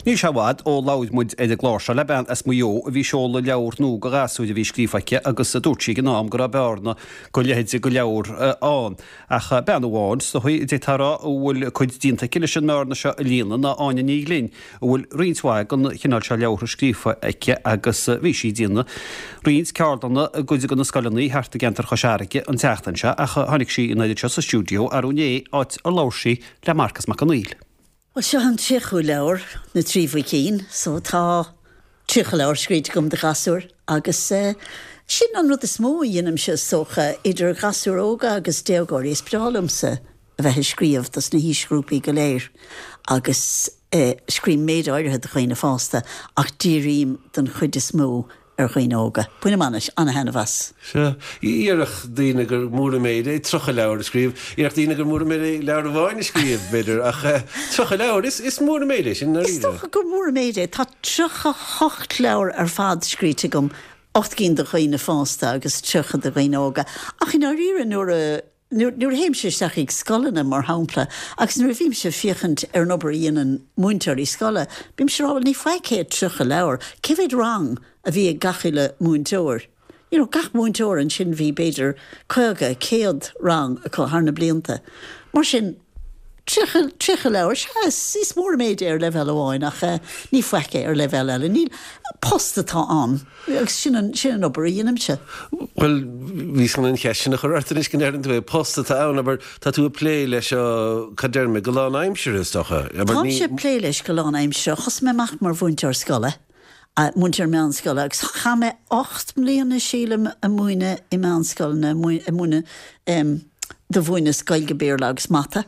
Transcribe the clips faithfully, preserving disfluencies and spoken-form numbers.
Níl sé i bhfad ó labhair muid ar an gclár seo le bean as Maigh Eo a bhí ag seoladh leabhar nua do ghasúir a bhí scríofa aici agus dúirt sí ag an am go raibh bearna go leithéide de leabhar ann. Ach bean amháin is dóigh a d'fhéadfá a rá a bhfuil cuid déanta aici leis an mbearna seo a líonadh ná Áine Ní Ghlinn, a bhfuil roinnt mhaith den chineál seo leabhartha scríofa aici agus bhí sí ag déanamh roinnt ceardlanna i gcuid de na scoileanna thart i gceantar Chois Fharraige an tseachtain seo ach tháinig sí in áit seo sa stiúideo arú inné áit ar labhair sí le Marcas Mac Conghail. Well seo an tríochú leabhar na trí bhuicín, so tá tríocha leabhar scríte agam do ghasúir agus uh, sin an rud is mó a dhéanaimse is dócha idir ghasúir óga agus déagóirí is breá liomsa a bheith ag scríobh dos na haoisghrúpaí go léir agus uh, scríobhaim méid áirithe do dhaoine fásta ach dírím den chuid is mó ar dhaoine óga. Bainim an-taitneamh as. Sea, déarfadh daoine gur mór an méid é tríocha leabhar a scríobh, déarfadh daoine gur mór an méid é leabhar amháin a scríobh b'fhéidir ach tríocha leabhar is is mór an méid é sin Is dócha gur mór an méid é tá tríocha hocht leabhar ar fad scríte agam ocht gcinn do dhaoine fásta agus tríocha do dhaoine óga. Ach in áiríre nuair a nuair a théimse isteach ag scoileanna mar shampla, agus nuair a bhímse ag féachaint ar an obair a dhéanann múinteoirí scoile, bímse ag rá ní faic é tríocha leabhar, cé mhéad rang a bhí ag gach uile múinteoir. You know, gach múinteoir ansin bhí b'fhéidir caoga céad rang acu thar na blianta. Mar sin tríocha leabhar sé is mór méid ar leibhéal amháin ach uh, ní faic é ar leibhéal eile. Níl post atá ann agus sin an sin an obair a dhéanaimse. Well bhí san an cheist sin a chur ort anois go ndeireann tú é post atá ann abair tá tú ag plé leis seo cad deir mé go lánaimseartha is dócha. Táimse ag plé leis go lánaimseartha, thosaigh mé amach mar mhúinteoir scoile. Uh, múinteoir meánscoile agus chaith mé ocht mbliana sílim ag múineadh i meánscoil ag múineadh um, do mhúineas Gaeilge Béarla agus Mata.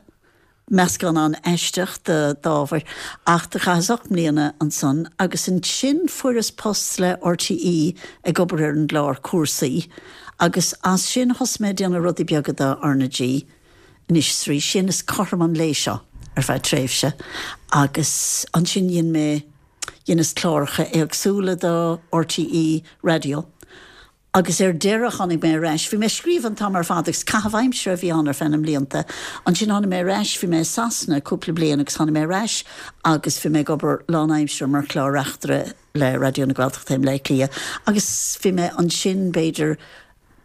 Meascán an-aisteach d'ábhair ach do chaitheas ocht mbliana ansan agus ansin fuaireas post le RTÉ ag obair ar an gclár cúrsaí agus as sin thosaigh mé déanamh rudaí beaga do RnaG. Anois trí sin is cothrom an lae seo ar feadh tréimhse agus ansin dhein mé dheineas cláracha éagsúla do RTÉ Radio. Agus ar deireadh tháinig mé ar ais, bhí mé ag scríobh an t-am ar fad agus caitheamh aimsire a bhí ann ar feadh na mblianta. Ansin tháinig mé ar ais, bhí mé i Sasana cúpla bliain agus tháinig mé ar ais agus bhí mé ag obair lánaimseartha mar chlár-reachtaire le Raidió na Gaeltachta i mBleá Cliath. Agus bhí mé ansin b'fhéidir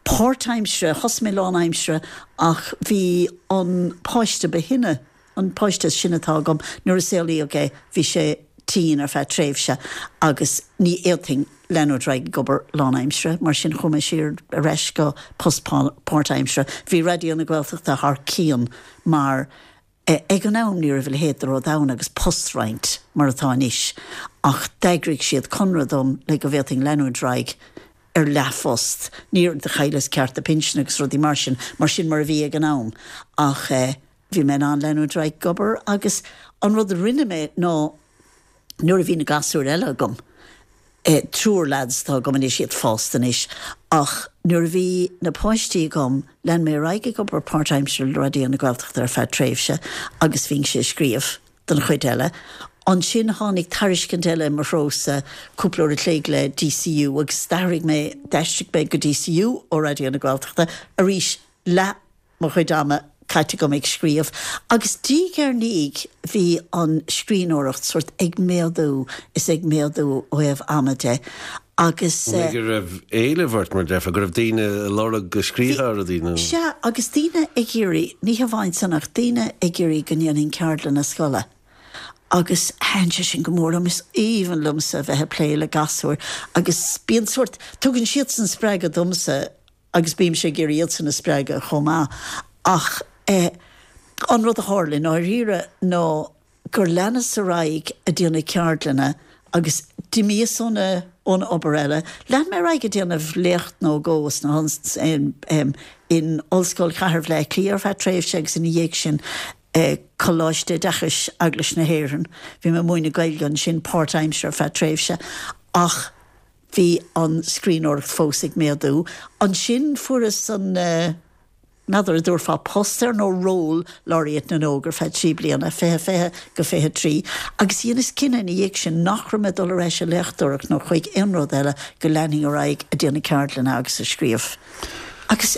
páirtaimseartha, thosaigh mé lánaimseartha ach bhí an páiste ba shine an páiste sin atá agam nuair a saolaíodh é bhí sé tinn ar feadh tréimhse agus ní fhéadfainn leanúint ar aghaidh ag obair lánaimseartha, mar sin chuaigh mé siar ar ais go post páirtaimseartha. Bhí Raidió na Gaeltachta thar cionn mar ag an am ní raibh a leithéid de rud ann agus postroinnt mar atá anois, ach d'eagraigh siad conradh dom le go bhféadfainn leanúint ar aghaidh ar leathphost. Níor do chailleas cearta pinsin agus rudaí mar sin, mar sin mar a bhí ag an am. Ach eh, bhí mé in ann leanúint ar aghaidh ag obair agus an rud a rinne mé ná nuair a bhí na gasúir eile agam, eh, triúr lads atá agam anois iad fásta anois, ach nuair a bhí na páistí agam lean mé ar aghaidh ag obair páirtaimseartha le Raidió na Gaeltachta ar feadh tréimhse agus bhínnse ag scríobh don chuid eile. Ansin tháinig tairiscint eile mo threosa cúpla uair a chloig le DCU agus d'athraigh mé d'aistrigh mé go DCU ó Raidió na Gaeltachta arís leath mo chuid ama caite agam ag scríobh. Agus diaidh ar ndiaidh bhí an scríbhneoireacht sort ag méadú is ag méadú ó thaobh ama de. Agus go raibh éileamh ort mar defa, go raibh daoine ag lorg go scríobhfá rudaí nó. Sea, agus daoine ag iarraidh, ní hamháin san ach daoine ag iarraidh go ndéanfainn ceardlanna scoile. Agus thaitin sé sin go mór liom, is aoibhinn liomsa a bheith ag plé le gasúir agus bíonn sort tugann siadsan spreagadh domsa agus bímse ag iarraidh iadsan a spreagadh chomh maith. Ach eh, an rud a tharla i ndáiríre ná gur leanas ar aghaidh ag déanamh ceardlanna agus d'imíos ón ón obair eile. Lean mé ar aghaidh ag déanamh léacht nó dhó sna in, in Ollscoil Chathair Bhaile Átha Cliath ar feadh tréimhse agus ina dhiaidh sin eh, Coláiste Oideachais Eaglais na hÉireann. Bhí mé ag múineadh Gaeilge ansin páirtaimseartha ar feadh tréimhse ach bhí an scríbhneoireacht fós ag méadú. Ansin fuaireas an uh, N'fheadar an dtabharfá post air nó ról Laureate na nÓg ar feadh trí bliana, fiche fiche go fiche trí, agus dheineas cinneadh ina dhiaidh sin nach raibh mé dul ar ais ag léachtóireacht nó chuig aon rud eile go leanfainn ar aghaidh ag déanamh ceardlanna agus ag scríobh. Agus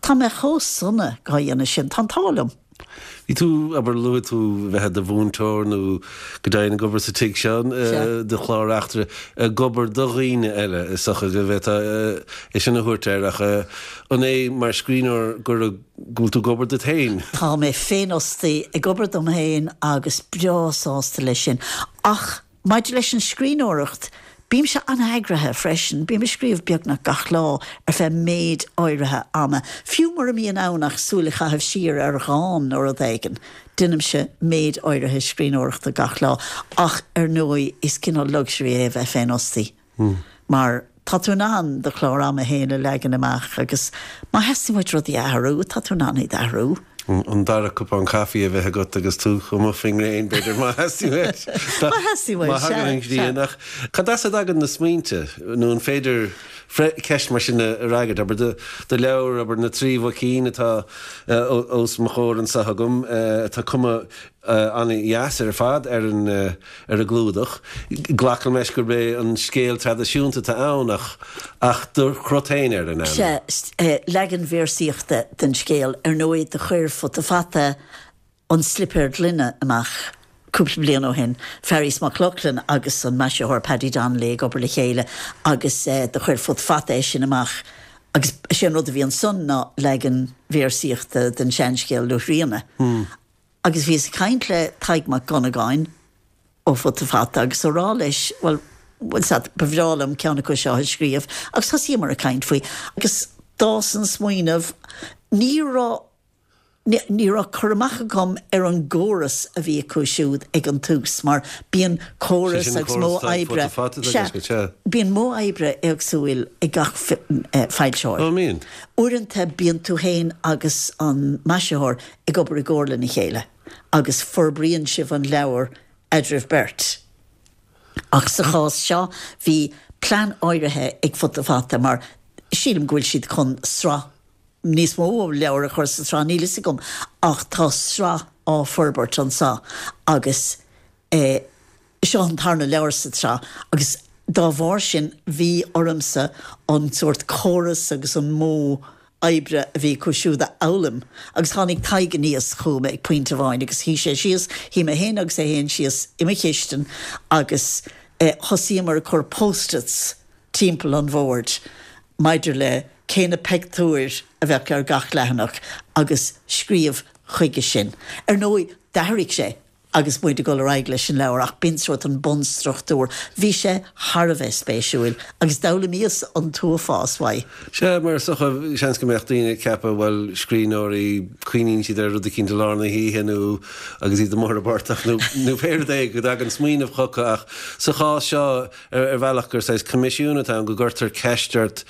tá mé chomh sona dhá dhéanamh sin, tá an t-ádh liom. Bhí tú, abair, luaigh tú bheith i do mhúinteoir nó go deimhin ag obair sa tigh seo, do chlár Eachtra, ag obair do dhaoine eile, is dócha go bhféadfá é sin a thabhairt air, ach an é mar scríbhneoir gur go bhfuil tú ag obair duit féin? Tá mé féinfhostaí, ag obair dom féin agus breá sásta leis sin. Ach maidir leis an scríbhneoireacht, Bímse an-eagraithe freisin, bím ag scríobh beagnach gach lá ar feadh méid áirithe ama. Fiú mura mbím in ann ach súil a chaitheamh siar ar dhán nó rud éigin, déanaimse méid áirithe scríbhneoireachta gach lá. Ach ar ndóigh, is cineál luxury é a bheith féinfhostaí mar tá tú in ann do chlár ama féin a leagan amach agus má theastaíonn uait rudaí a athrú, tá tú in ann iad a athrú. An dara cupán caife a bheith agat agus tú chomh maith faoin ngréin, b'fhéidir, má theastaíonn uait. Má theastaíonn uait, sea. Má thagann an ghrian. Ach cad as a dtagann na smaointe? Nó an féidir ceist mar sin a fhreagairt? Abair, do leabhar, abair, Na Trí Mhuicín atá os mo chomhair anseo agam, tá cuma an-dheas ar fad ar an ar an gclúdach. Glacaim leis gurb é an scéal traidisiúnta atá ann ach ach do chrut féin air, an ea? Sea, leagan véarsaíochta den scéal. Ar ndóigh, do chuir Futa Fata An Slipéar Gloine amach cúpla bliain ó shin, Fearghas Mac Lochlainn agus an maisitheoir Paddy Donnelly ag obair le chéile agus do chuir Futa Fata é sin amach agus is é an rud a bhí ansan ná leagan véarsaíochta den seanscéal Luaithríona. Agus bhíos ag caint le Tadhg Mac Dhonnagáin ó Futa Fata agus á rá leis, bhuel, bhuel, sea, ba bhreá liom ceann acu seo a scríobh agus thosaíomar ag caint faoi agus d'fhás an smaoineamh. Ní raibh, ní raibh cur amach agam ar an gcóras a bhí acu siúd ag an tús mar bíonn córas agus modh oibre, sea, bíonn modh oibre éagsúil ag gach foilsitheoir. Uaireanta bíonn tú féin agus an maisitheoir ag obair i gcomhar lena chéile agus forbraíonn sibh an leabhar eadraibh beirt. Ach sa chás seo bhí plean áirithe ag Futa Fata mar sílim go bhfuil siad chun sraith níos mó leabhar a chur sa tsraith, níl fhios agam, ach tá sraith á forbairt anseo agus eh seo an tarna leabhar sa tsraith agus dá bharr sin bhí ormsa an sórt córas agus an modh oibre a bhí acu siúd a fhoghlaim agus tháinig Tadhg aníos chugam ag pointe amháin agus shuigh sé síos, shuigh mé féin agus é féin síos i mo chistin agus thosaíomar ag cur post-its timpeall an bhoird maidir le cé na pictiúir a bheadh ar gach leathanach agus scríobh chuige sin. Ar ndóigh d'athraigh sé agus muid ag dul ar aghaidh leis an leabhar ach b'in sórt an bunstruchtúr. Bhí sé thar a bheith spéisiúil agus d'fhoghlaimíos an t-uafás uaidh. Sea, mar is dócha, seans go mbeadh daoine ag ceapadh, bhuel, scríbhneoirí, cuimhníonn siad ar rud eicínt i lár na hoíche nó agus iad amuigh ar an bportach nó nó pé rud é go dtagann smaoineamh chucu ach sa chás seo ar bhealach gur saghas coimisiún atá ann, go gcuirtear ceist ort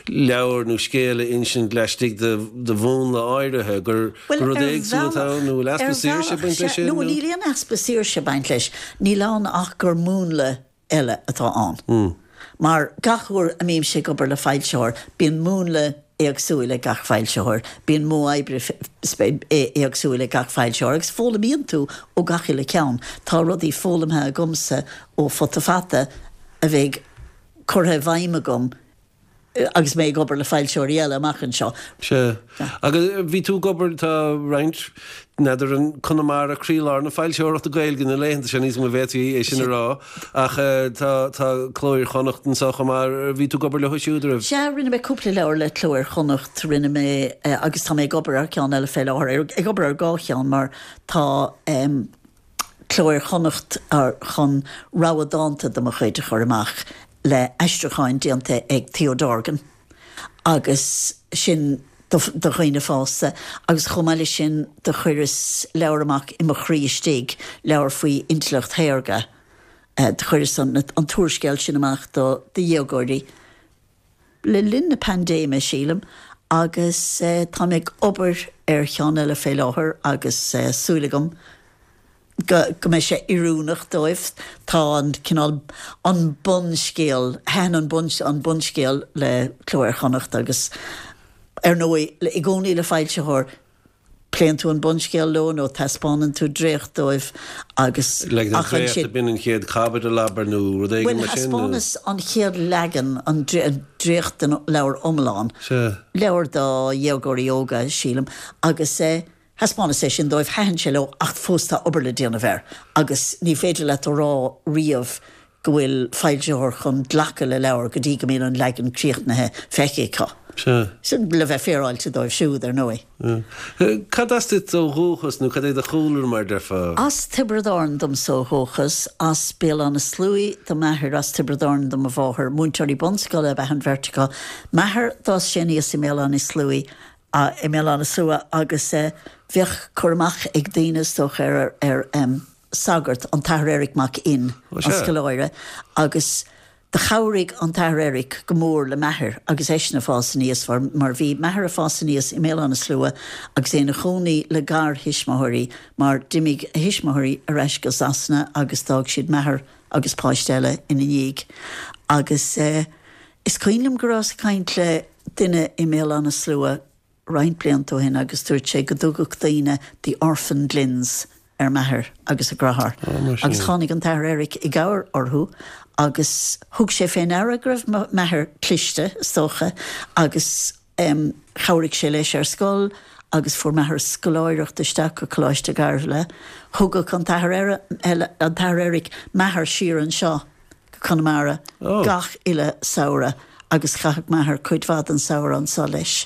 leabhar nó scéal a insint laistigh de mhúnla áirithe, gur Bhuel, rud ar éagsúil atá bhealach, ann nó bhfuil ar easpa saoirse ag bhealach, baint leis sea, sin nó nó? níl aon easpa saoirse ag baint leis, níl ann ach gur múnla eile atá ann. Mar gach uair a mbímse ag obair le foilsitheoir, bíonn múnla éagsúil ag gach foilsitheoir, bíonn modh oibre éagsúil ag gach foilsitheoir agus foghlaimíonn tú ó gach uile cheann. Tá rudaí foghlamtha agamsa ó Futa Fata a bheidh curtha i bhfeidhm agam agus mé ag obair le foilsitheoirí eile amach anseo. Sea. Agus bhí tú ag obair, tá roinnt, n'fheadar an Conamara croílár na foilsitheoireachta Gaeilge na laethanta seo, níl 's agam an bhféadfaí é sin a rá, ach tá tá Cló Iar-Chonnacht anseo chomh maith, bhí tú ag obair leo siúd, an raibh? Sea, rinne mé cúpla leabhar le Cló Iar-Chonnacht, rinne mé, agus tá mé ag obair ar cheann eile fé láthair, ag obair ar dhá cheann mar tá Cló Iar-Chonnacht chun rogha dánta de mo chuid a chur amach le aistriúcháin déanta ag Theo Dorgan agus sin do dhaoine fásta agus chomh maith leis sin do chuireas leabhar amach I Mo Chroí Istigh, leabhar faoi intleacht shaorga, do chuireas an t-úrscéal sin amach do dhéagóirí le linn na paindéime, sílim, agus tá mé ag obair ar cheann eile fé láthair agus súil agam go mbeidh sé oiriúnach dóibh. Tá an cineál, an bunscéal, thaitin an bun, an bunscéal le Cló Iar-Chonnacht agus ar ndóigh, i gcónaí le foilsitheoir, pléann tú an bunscéal leo nó taispeánann tú dréacht dóibh agus Like an ach dréacht, ansin. b'in an chéad chaibidil, abair, nó rud éigin Bhuel, mar sin, nó? thaispeánas an chéad leagan, an dréacht den leabhar iomlán, Sea. leabhar do dhéagóirí óga, sílim, agus eh, Thaispeánas é sin dóibh, thaitin sé leo ach fós tá obair le déanamh air agus ní féidir leat a rá riamh go bhfuil foilsitheoir chun glacadh le leabhar go dtí go mbíonn an leagan críochnaithe feicthe acu. Sea. Sin le bheith féaráilte dóibh siúd, ar ndóigh. Cad as duit ó dhúchas nó cad é do chúlra mar déarfá? As Tiobraid Árann domsa ó dhúchas, as Béal Átha na Sluaighe do m'athair, as Tiobraid Árann do mo mháthair. Múinteoirí bunscoile ab ea an bheirt acu. M'athair, d'fhás sé aníos i mBéal Átha na Sluaighe, i mBéal Átha na Slua agus bheadh cur amach ag daoine is dócha ar ar sagart, an tAthair Eric Mac Fhinn, an scoláire, agus do chabhraigh an tAthair Eric go mór le m'athair agus eisean ag fás aníos mar bhí m'athair ag fás aníos i mBéal Átha na Slua agus é ina chónaí le garthuismitheoirí mar d'imigh a thuismitheoirí ar ais go Sasana agus d'fhág siad m'athair agus páiste eile ina ndiaidh agus is cuimhin liom go rabhas ag caint le duine i mBéal Átha na Slua roinnt blianta ó shin agus dúirt sé go dtugadh daoine 'the orphan Glynns' ar m'athair agus a dheartháir. Agus tháinig an tAthair Eric i gcabhair orthu agus thug sé fé ndeara go raibh m'athair cliste, is dócha, agus chabhraigh sé leis ar scoil agus fuair m'athair scoláireacht isteach go Coláiste Ghairbhile. Thugadh an tAthair an tAthair Eric m'athair siar anseo go Conamara gach uile samhradh agus chaitheadh m'athair cuid mhaith den samhradh anseo leis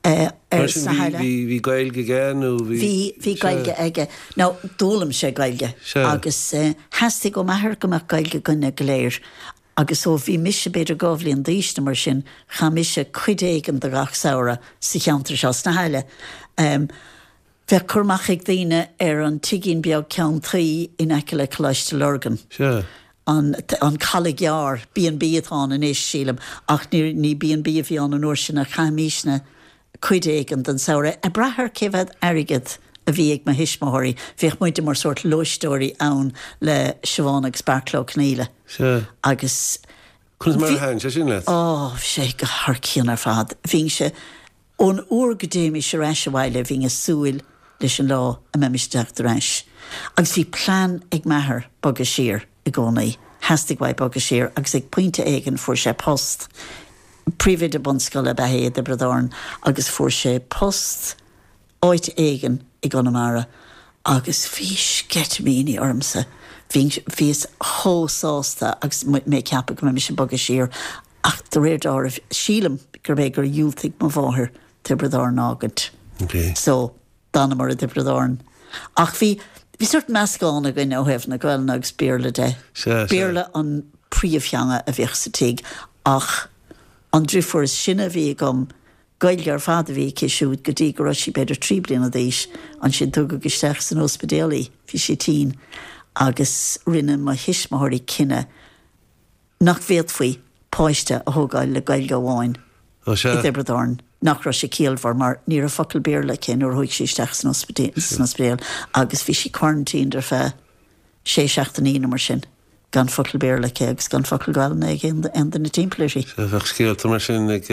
ar sna haile. Bhí Gaeilge aige nó bhí? Bhí, bhí Gaeilge aige. Now, d'fhoghlaim sé Gaeilge agus theastaigh ó m'athair go mbeadh Gaeilge againne go léir agus ó bhí mise b'fhéidir dhá bhliain d'aois nó mar sin, chaith mise cuid éigin de gach samhradh sa cheantar seo, sna hAille. Bheadh cur amach ag daoine ar an tigín beag ceann tuí in aice le Coláiste Lurgan. Sea. An an Caladh Gearr, B and B atá ann anois, sílim, ach ní ní B and B a bhí ann an uair sin ach chaithimisne cuid éigin den samhradh, ag brath ar cé mhéad airgead a bhí ag mo thuismitheoirí. Bhíodh muide mar sórt lóisteoirí ann le Siobhán agus Beairtle Ó Conghaile. Sea. Agus Conas mar a thaitin sé sin leat? Ó, bhí sé go thar cionn ar fad. Bhínnse. Ón uair go dtéimis ar ais abhaile bhínn ag súil leis an lá a mbeimis ag teacht ar ais. Agus bhí plean ag m'athair bogadh siar i gcónaí. Theastaigh uaidh bogadh siar agus ag pointe éigin fuair sé post. Príomhoide bunscoile ab ea é i dTiobraid Árann agus fuair sé post áit éigin i gConamara agus bhí sceitimíní ormsa. Bhí, bhíos chomh sásta agus mé ag ceapadh go mbeimis ag bogadh siar Ach de réir dealraimh, sílim gurb é gur dhiúltaigh mo mháthair Tiobraid Árann a fhágaint. So, d'fhanamar i dTiobraid Árann. Ach bhí, bhí sórt meascán againn ó thaobh na Gaelainne agus Béarla de. Sea, sea. Béarla an príomhtheanga a bhíodh sa tigh ach an driofúr is sine a bhí agam, Gaeilge ar fad a bhí aici siúd go dtí go raibh sí b'fhéidir trí bliana d'aois. Ansin tugadh isteach san ospidéal í, bhí sí tinn agus rinne mo thuismitheoirí cinneadh nach bhféadfaí páiste a thógáil le Gaeilge amháin Ó sea. i dTiobraid Árann, nach raibh sé ciallmhar mar ní raibh focal Béarla aici nuair a chuaigh sí isteach san ospidéal agus bhí sí quarantined ar feadh sé seachtainí nó mar sin gan focal Béarla aici agus gan focal Gaelainne ag aon duine timpeall uirthi. Sea, bheadh scéalta mar sin ag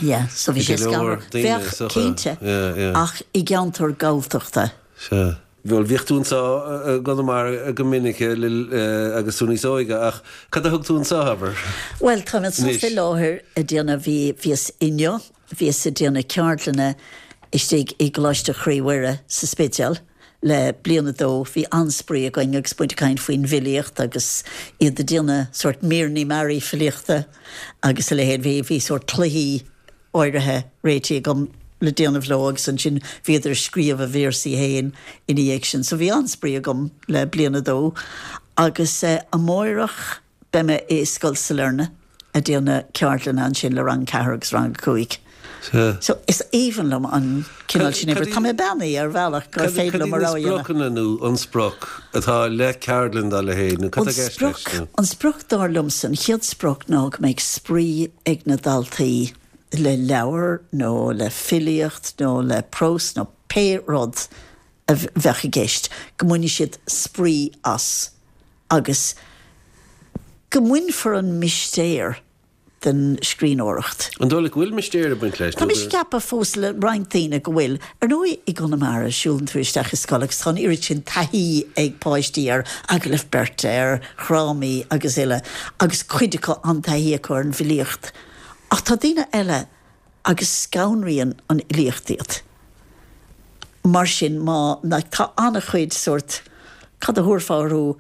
Yeah, so bhí sé go leor scanrúil. daoine Bheadh, is dócha. cinnte, Yeah, yeah. ach i gceantar Galltachta. Sea. Bhuel, bhíodh tú anseo i gConamara go minic agus tú níos óige, ach cad a thug tú anseo, abair? Bhuel, táim anseo Anois. faoi láthair ag déanamh, bhí, bhíos inniu, bhíos ag déanamh ceardlanna istigh i gColáiste Chroí Mhuire sa Spidéal le bliain a dó. Bhí an-spraoi againn agus muid ag caint faoin bhfilíocht agus iad ag déanamh sórt míreanna mearaí filíochta agus a leithéid. Bhí, bhí sórt cluichí áirithe réitithe agam le déanamh leo agus ansin bhíodar ag scríobh a véarsaí féin ina dhiaidh sin. So bhí an-spraoi agam le bliain a dó agus amáireach beidh mé i Scoil Sailearna ag déanamh ceardlanna ansin le rang ceathair agus rang a cúig. Sea. So is aoibhinn liom an cineál sin oibre. Cad Tá mé beannaithe ar bhealach gur Cad féidir cad liom iad mo na rogha a dhéanamh. spriocanna nó an sprioc atá le ceardlann dá leithéid nó cad An tá i gceist leis sprioc, nó? an sprioc dar liomsa, an chéad sprioc ná go mbeidh spraoi ag na daltaí le leabhar nó le filíocht nó le prós nó pé rud a bheadh i gceist, go mbainfidh siad spraoi as agus go mbainfear an mistéir den scríbhneoireacht. An dóigh leat go bhfuil mistéir ag baint leis Tá nó mise ag gur. ceapadh fós le roinnt daoine go bhfuil. Ar ndóigh i gConamara siúlann tú isteach i scoil agus tá an oiread sin taithí ag páistí ar agallaimh beirte, ar dhrámaí agus uile agus cuid acu an-taithí acu ar an bhfilíocht. Ach tá daoine eile agus scanraíonn an fhilíocht iad. Mar sin má like, tá an-chuid sórt cad a thabharfá orthu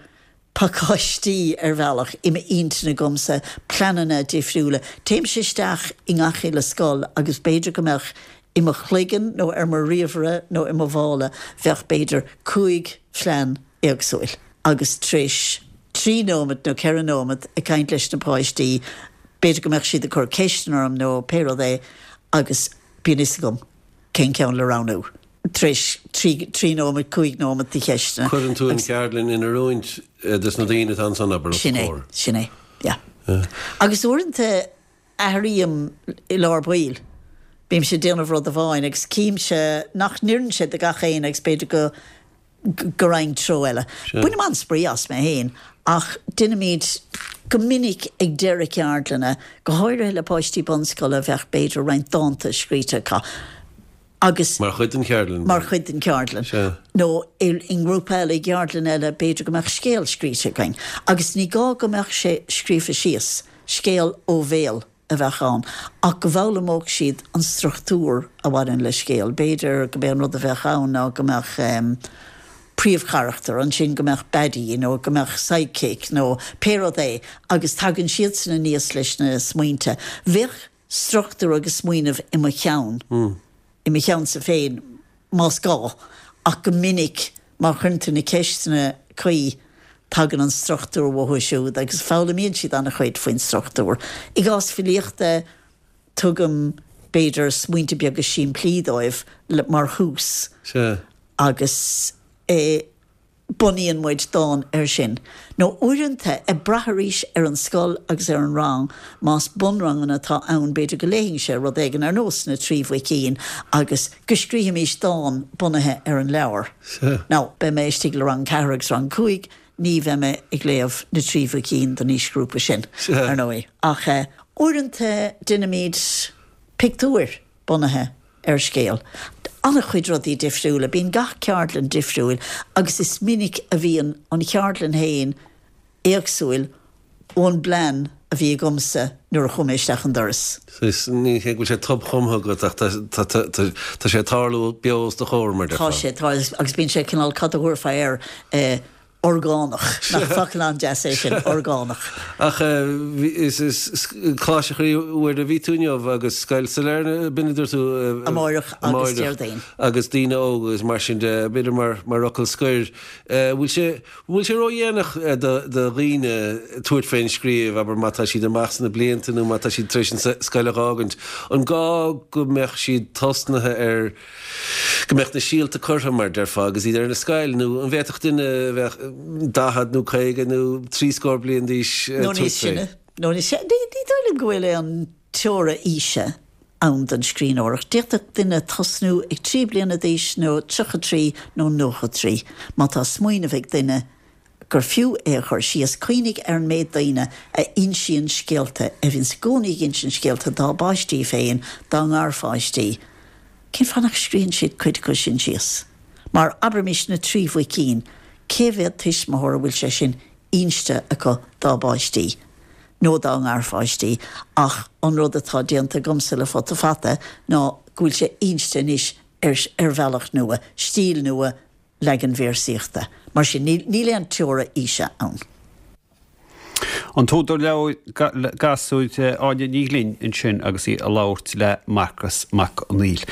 pacáistí ar bhealach i m'intinn agamsa pleananna difriúla. Téimse isteach i ngach uile scoil agus b'fhéidir go mbeadh i mo chloigeann nó ar mo ríomhaire nó i mo mhála bheadh b'fhéidir cúig phlean éagsúil. Agus tar éis trí nóiméad nó ceithre nóiméad ag caint leis na páistí, b'fhéidir go mbeadh siad ag cur ceisteanna orm nó pé rud é agus bíonn fhios agam cén ceann le roghnú. Tar éis trí trí nóiméad, cúig nóiméad de cheisteanna. Cuireann tú an cheardlann in oiriúint dos na daoine atá ansan abair os Sin é, comhair. sin é, yeah. Agus uaireanta athraím i lár baill. Bímse ag déanamh rud amháin agus címse nach n-oireann sé do gach éinne agus b'fhéidir go go raghainn treo eile. Bainim an-spraoi as mé féin ach déanaimid go minic ag deireadh ceardlanna, go háirithe le páistí bunscoile bheadh b'fhéidir roinnt dánta scríte acu agus Mar chuid den cheardlann? Mar chuid den cheardlann. Sea. Nó i ngrúpa eile, i gceardlann eile, b'fhéidir go mbeadh scéal scríte againn. Agus ní gá go mbeadh sé scríofa síos, scéal ó bhéal a bheadh ann, ach go bhfoghlaimeodh siad an struchtúr a bhaineann le scéal. B'fhéidir go b'é an rud a bheadh ann ná go mbeadh príomhcharachtar, ansin go mbeadh baddie nó go mbeadh sidekick nó pé rud é agus tagann siadsan aníos leis na smaointe. Bheadh struchtúr agus smaoineamh i mo cheann, i mo cheannsa féin más gá, ach go minic má chuireann tú na ceisteanna cuí tagann an struchtúr uathu siúd agus foghlaimíonn siad an-chuid faoin struchtúr. I gcás filíochta tugaim b'fhéidir smaointe beaga simplí dóibh mar thús agus eh, bunaíonn muid dán air sin. Nó uaireanta, ag brath arís ar an scoil agus ar an rang, más bunranganna atá ann, b'fhéidir go léifinnse rud éigin ar nós Na Trí Mhuicín agus go scríobhaimis dán bunaithe ar an leabhar. Now, beidh mé istigh le rang ceathair agus rang cúig, ní bheidh mé ag léamh Na Trí Mhuicín don aoisghrúpa sin, ar ndóigh. Ach uaireanta déanaimid pictiúir bunaithe ar scéal. An-chuid rudaí difriúla. Bíonn gach ceardlann difriúil agus is minic a bhíonn an cheardlann féin éagsúil ón bplean a bhí agamsa nuair a chuaigh mé isteach an doras. Is ní hé go bhfuil sé tobchumtha agat ach tá sé ag tarlú beo os do chomhair, mar Tá déarfá. sé, tá, agus bíonn sé cineál cad a thabharfá air, eh, orgánach. Nach focal an-deas é sin, orgánach. Ach is is Coláiste Chroí Mhuire a bhí tú inniu agus Scoil Sailearna, b'in a dúirt tú? Amárach agus Déardaoin. Agus daoine óga agus mar sin de, b'fhéidir mar mar fhocal scoir, bhfuil sé bhfuil sé ródhéanach do do dhaoine tabhairt fén scríobh, abair má tá siad amach sna blianta nó má tá siad tar éis an scoil a dh'fhágaint, an gá go mbeadh siad tosnaithe ar go mbeadh na síolta curtha, mar déarfá, agus iad ar an scoil, nó an bhféadfadh duine a bheadh daichead nó caoga nó trí scór bliain d'aois Nó níos tabhairt fé? sine. Nó níos sine. Ní ní dóigh liom go bhfuil aon teora aoise ann don scríbhneoireacht. D'fhéadfadh duine tosnú ag trí bliana d'aois nó tríocha trí nó nócha trí. Má tá smaoineamh ag duine gur fiú é a chur síos, cuimhnigh ar an méid daoine a insíonn scéalta, a bhíonns i gcónaí ag insint scéalta dá bpáistí féin, dá ngarpháistí. Cén fáth nach scríobhann siad cuid acu sin síos? Mar, abraimis, na Trí Mhuicín, cé mhéad tuismitheoir a bhfuil sé sin inste acu dá bpáistí nó dá ngarpháistí? Ach an rud atá déanta agamsa le Futa Fata ná go bhfuil sé inste anois ar ar bhealach nua, stíl nua, leagan véarsaíochta. Mar sin, níl aon teora aoise ann. An t-údar leabhair gasúir Áine Ní Ghlinn ansin agus í ag labhairt le Marcas Mac Conghail.